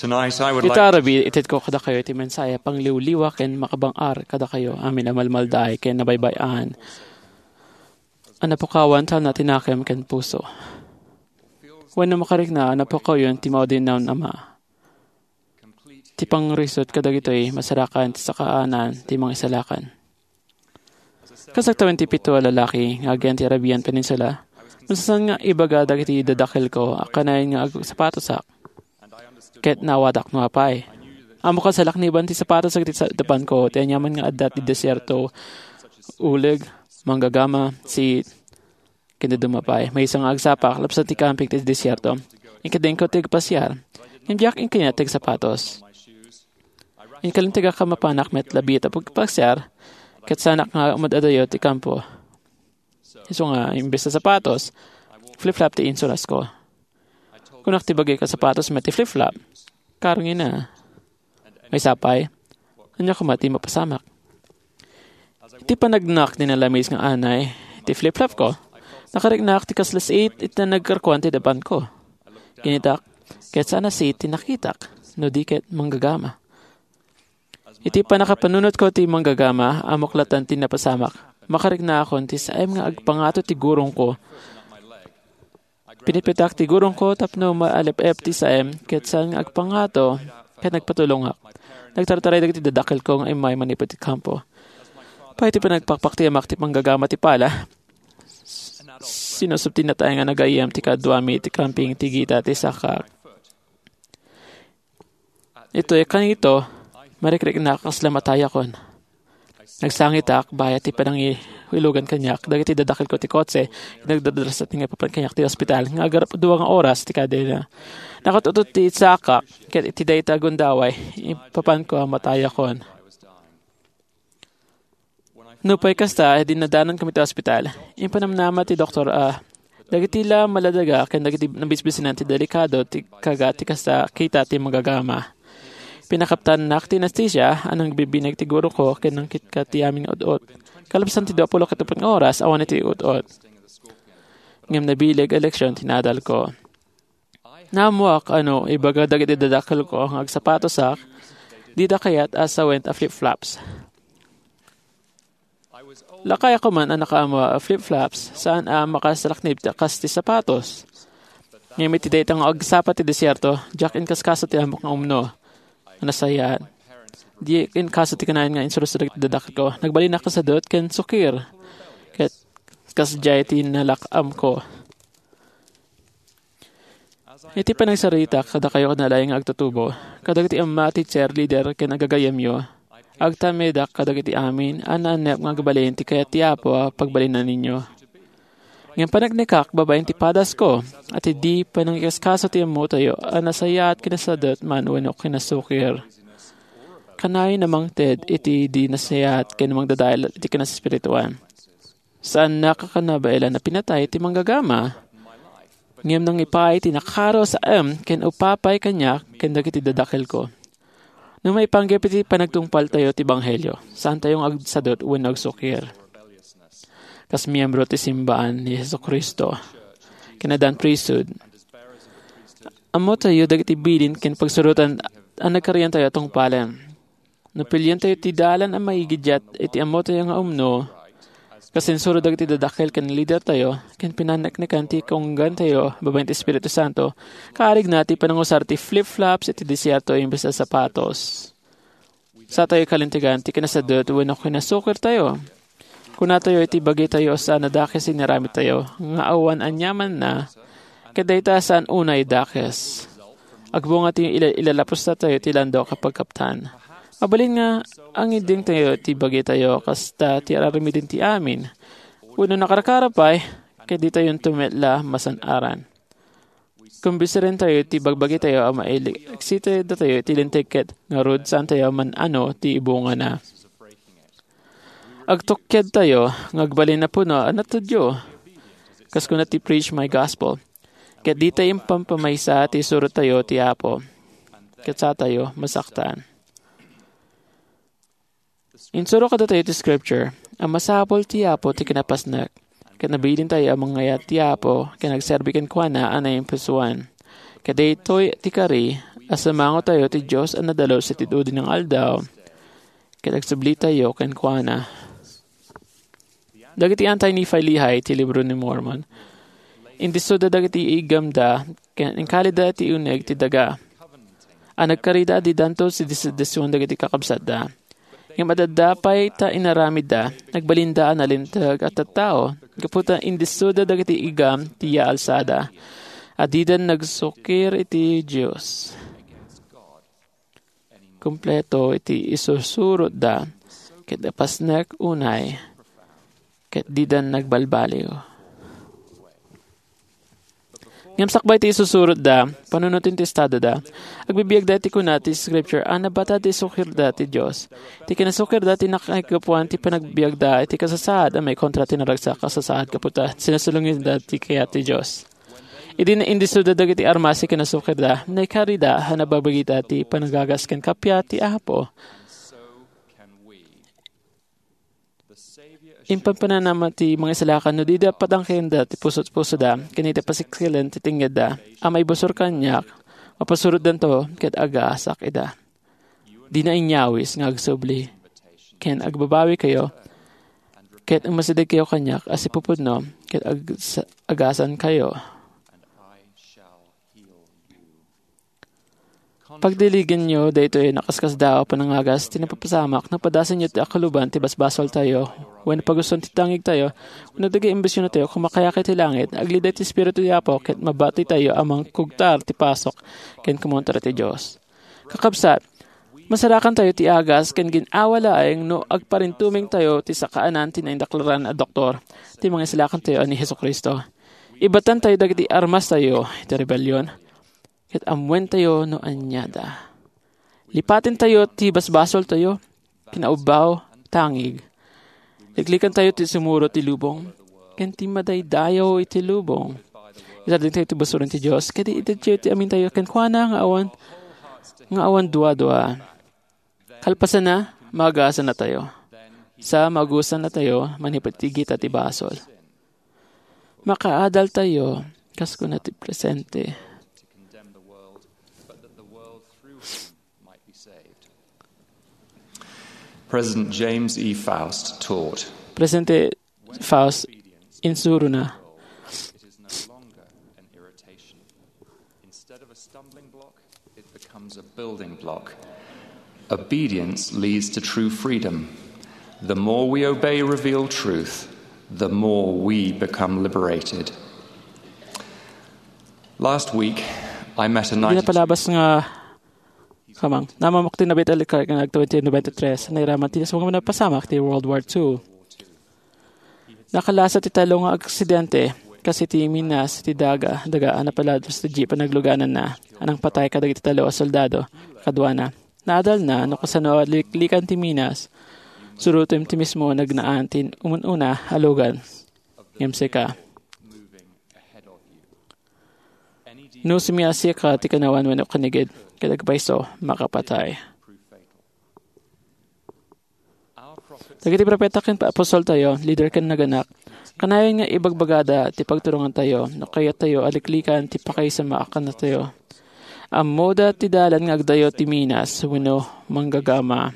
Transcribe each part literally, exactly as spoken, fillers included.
Tonight, I would Ita like arabi, itedko kadakayo ti mensahe a pangliwliwa ken makabang-ar kadakayo amin a malmaldaay ken nabaybay-an a napukawan ta natinakem ken puso. Wenno makarikna a napukawyon ti maudinnaw a ama. Ti pangrisot kadagitoy masarakan ti sakaanan ti mangisalakan. Kas agtawen ti pito a lalaki nga agyan ti Arabian Peninsula, nasasan nga ibaga dagiti dadakelko a kanayon nga agsapatosak ket naawatak no apay. Ammok a salakniban ti sapatos dagiti sa-, dapanko ti aniaman nga adda ti desierto, uleg, manggagama, siit, ken dadduma pay. Maysa nga agsapak, lapsat ti kamping ti desierto. Inkadengko ti agpasiar. Ngem diak inkaniat ti agsapatos. Inkalintegak a mapanak met labiit a pagpasiar, ket saanak nga umad-adayo ti kampo. Isu nga, imbes a sapatos, flip-flop ti insurasko. Kunak ti bagik a sapatos met ti flip-flop. Karngina. Maysa pay, ania koma ti mapasamak? Iti panagnak ti nalamis nga anay ti flip-flopko, nakariknak ti kasla siit iti nagkarkuan ti dapanko. Kinitak, ket saan a siit ti nakitak, no di ket manggagama. Iti pannakapanunotko ti manggagama, ammok latta ti napasamak. Makariknakon ti saem nga agpangato ti gurongko. Pinipitak ti gurongko tapno maalep-ep ti saem, ket saan nga agpangato, ket nagpatulongak. Nagtartaray dagiti dadakelko nga immay manipud ti kampo. Pay ti panagpakpaktiamak ti panggagama ti pala, sinusubtinatayo nga nagayyem ti kaduami ti kamping ti gita ti sakak. Itoy kanito, marikriknak a kasla matayakon. Nagsangitak, bayat ti panangihulogan kaniak, dagiti dadakelko ti kotse, nagdadrasat nga ipapan kaniak ti ospital, nga agarap dua nga oras ti kadena. Nakatutod ti sakak, ket iti dayta a gundaway, ipapanko a matayakon. Nupay kasta, dinnadanan kami ti ospital. Impanamnama ti doktor a dagiti la maladaga ken dagiti nabisbisinan ti delikado ti kaga ti kasta kita ti manggagama. Pinakaptannak ti anestesia a nangbibineg ti guroko ken nangkitka ti amin nga ut-ot. Kalpasan ti dua pulo ket uppat nga oras, awan iti ut-ot. Ngem nabileg a leksion ti naadalko. Naammoak a no ibaga dagiti dadakelko nga agsapatosak, dida kayat a sawen a flip-flops. Lakay a koma a nakaammo a flip-flops, saan a makasalaknib ti kas ti sapatos. Ngem iti dayta nga agsapa ti desierto, diak inkaskaso ti ammok nga umno. Nasayaat. Diak inkaso ti kanayon nga insursuro dagiti dadakelko. Nagbalinak a sadut ken sukir. Ket kasdiay ti nalak-amko. Iti panagsaritak kadakayo ken nalaing nga agtutubo, kadagiti amma ti cheerleader ken agagayyemyo, agtamedak kadagiti amin a naanep nga agbalin ti kayat ti Apo a pagbalinanyo. Ngem paneknekak babaen ti padasko, a ti di panangikaskaso ti ammotayo a nasayaat ken nasadut man wenno kinasukir. Kanayon a mangted iti di nasayaat ken mangdadael iti kinaspirituan. Saannak a kanabaelan a pinatay ti manggagama, ngem nangipaay ti nakaro a saem ken upapay kaniak ken dagiti dadakelko. No maipanggep iti panagtungpaltayo ti ebanghelio, saantayo nga agsadut wenno agsukir. Kas miembro ti simbaan ni Jesu-Cristo, ken addan priesthood, ammotayo dagiti bilin ken pagsurotan a nagkariantayo a tungpalen. No pilientayo ti dalan a maigiddiat iti ammotayo nga umno, kas insuro dagiti dadakel ken lidertayo, ken pinaneknekan ti kaunggantayo babaen ti Espiritu Santo, kaarigna ti panangusar ti flip-flops iti desierto imbes a sapatos. Satayo kalintegan ti kinasadut wenno kinasukirtayo. Kunatayo iti bagitayo a saan a dakes ti inaramidtayo, nga awan aniamanna, ket dayta a saan unay dakes. Agbunga ti ila-, ilalapusatayo ti landok a pagkaptan. Mabalin nga angiddengtayo ti bagitayo kasta ti ar-aramiden ti amin. Wenno nakarkaro pay, ket ditayonto met la masan-aran. Kumbensirentayo ti bagbagitayo a mailiksitdatayo iti linteg ket ngarud saantayo a man-ano ti ibungana. Agtukkedtayo nga agbalin a puno a natudyo. Kas kuna ti Preach My Gospel, ket ditay impampamaysa ti isurotayo ti Apo, ket satayo masaktan. Insuro kadatayo ti Scripture a masapul ti Apo ti kinapasnek, ket nabilintayo a mangngayat ti Apo ken agserbi kenkuana a naimpusoan. Ket daytoy ti kari a sumangotayo ti Dios a nadalus iti dudi nga aldaw, ket agsublitayo kenkuana. Dagiti Anti-Nephi-Lehi ti Libro ni Mormon, indissoda dagiti iggamda ken inkalida ti uneg ti daga a nagkarida a didanto ti disension dagiti kakabsatda. Ngem adda pay ta inaramidda, nagbalinda a nalinteg a tattao, gapu ta indissoda dagiti igam ti yaalsada, a didan nagsukir iti Dios. Kompleto iti isusurotda, ket napasnek unay, ket didan nagbalbaliw. Ngem sakbay ti isusurotda, panunoten ti estadoda, agbibiagda iti kuna ti Scripture a nabatad ti sukirda ti Dios. Ti kinasukirda ti nakaigapuan ti panagbiagda iti kasasaad a maikontra ti naragsak a sasaad gapu ta sinasulongenna ti kayat ti Dios. Idi naindissoda dagiti armas ti kinasukirda, naikarida a nababagida ti panagagas ken kappia ti Apo. Impanpananam ti mangisalakan no dida patangkenda ti pusot-pusoda ken iti pasiksilem ti tengngeenda a maibusor kaniak, mapasurotdanto ket agaasak ida. Dina inyawis nga agsubli, ken agbabawikayo, ket umasidegkayo kaniak a sipupudno, ket ag-, agasankayo. Pagdiligenyo daytoy a nakaskasdaaw a panangagas ti napapasamak no padasenyo ti akuluban ti basbasoltayo, wenno pagustuan ti tangigtayo, wenno dagiti ambisiontayo, kumakayat iti langit, aglida ti Espiritu ti Apo, ket mabatitayo a mangkugtar ti pasok ken kumontra ti Dios. Kakabsat, masarakantayo ti agas ken gin-awa laeng no agparintumengtayo ti sakaanan ti naindaklaran a doktor, ti Mangisalakantayo a ni Jesu-Cristo. Ibatantayo dagiti armastayo iti rebellion, ket ammoentayo no aniada. Lipatentayo ti basbasoltayo, kinaubbaw, tangig. Liklikantayo ti sumuro ti lubong, ken ti madaydayaw iti lubong. Isardengtayo ti busoren ti Dios, ket itedtayo ti amintayo kenkuana nga awan, nga awan duadua. Kalpasanna, magasannatayo. Sa magasannatayo, manipud ti gita ti basol. Makaadaltayo, kas kuna ti presente. President James E. Faust taught, Presidente Faust insurona, it is no longer an irritation. Instead of a stumbling block, it becomes a building block. Obedience leads to true freedom. The more we obey revealed truth, the more we become liberated. Last week, I met a Di ninety-two napalabas nga kamang. Namamok ti nabit a likar nga nag twenty twenty-three. Nairaman ti nasumang napasamak ti World War two. Nakalasa ti talo nga aksidente, kas iti minas ti daga, daga a napalabas ti jeep a naglugananna, a nangpatay kadagiti talo a soldado, kaduana. Naadalna no kasano a liklikan ti minas. Surotem ti mismo a nagnaan ti umun-una a lugan. Ngem sika. No sumiasika ti kanawan wenno kinigid, ket agpayso, makapatay. Dagiti propeta ken apostoltayo, lider ken naganak, kanayon nga ibagbagada ti pagturongantayo no kayattayo a liklikan ti pakaisamaakannatayo. Ammoda ti dalan nga agdayo ti minas wenno manggagama.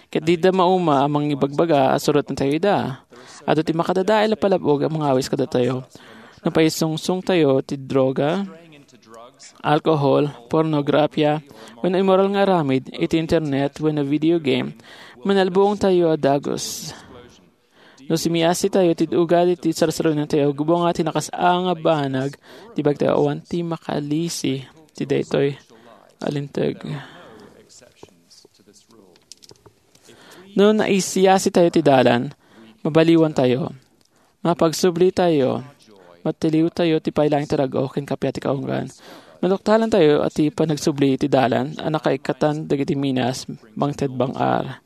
Ket dida mauma a mangibagbaga a surotantayo ida. Adu ti makadadael a palab-og a mangawis kadatayo. No paisungsongtayo ti droga, alkohol, pornografia, wenno immoral nga aramid iti internet wenno video game, manalbuongtayo a dagus. No sumiasitayo ti ugali ti sarsarunatayo, gubonga ti nakas-a nga banag ti bagtayo awan ti makalisi ti daytoy a linteg. No naisiyasitayo ti dalan, mabaliwantayo. Mapagsublitayo. Matiliwtayo ti pay laeng ti rag-o ken kappia ti kaunggan. Maduktalantayo a ti panagsubli ti dalan a nakaikatan dagiti minas mangted bang-ar.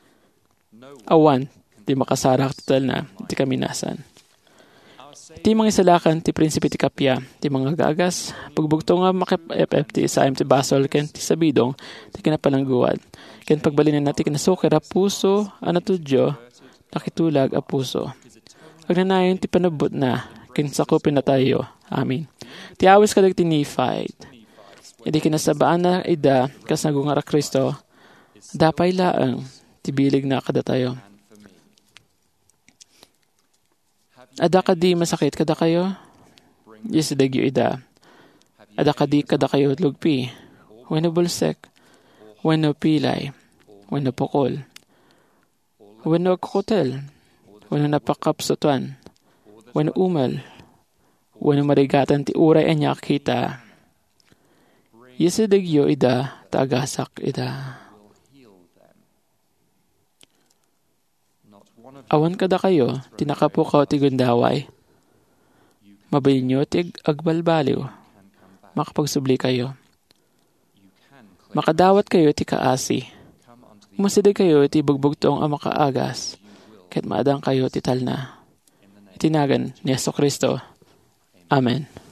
Awan ti makasarak ti talna iti kaminasan. Ti mangisalakan ti prinsipe ti kappia, ti mangagagas, pagbugto nga makip-ep-ep ti isaem ti basol ken ti sabidong ti kinapalangguad, ken pagbalinenna ti kinasukir a puso a natudyo, nakitulag a puso. Agnanayon ti panabbutna ken sakupennatayo. Amen. Ti awis kadagiti Nephite. Idi kinasabaanna ida kas nagungar a Cristo, adda pay laeng ti bilegna kadatayo. Adda kadi masakit kadakayo? Isidegyo ida. Adda kadi kadakayo lugpi, wenno bulsek, wenno pilay, wenno pukol, wenno agkukutel, wenno napakapsutan, wenno umel, wenno marigatan ti uray ania a kita? Isidegyo ida ta agasak ida. Awan kadakayo ti nakapukaw ti gundaway. Mabalinyo ti ag-, agbalbaliw. Makapagsublikayo. Makadawatkayo ti kaasi. Umasidegkayo iti bugbugtong a makaagas, ket maadangkayo ti talna. Iti nagan ni Jesu-Cristo. Amen.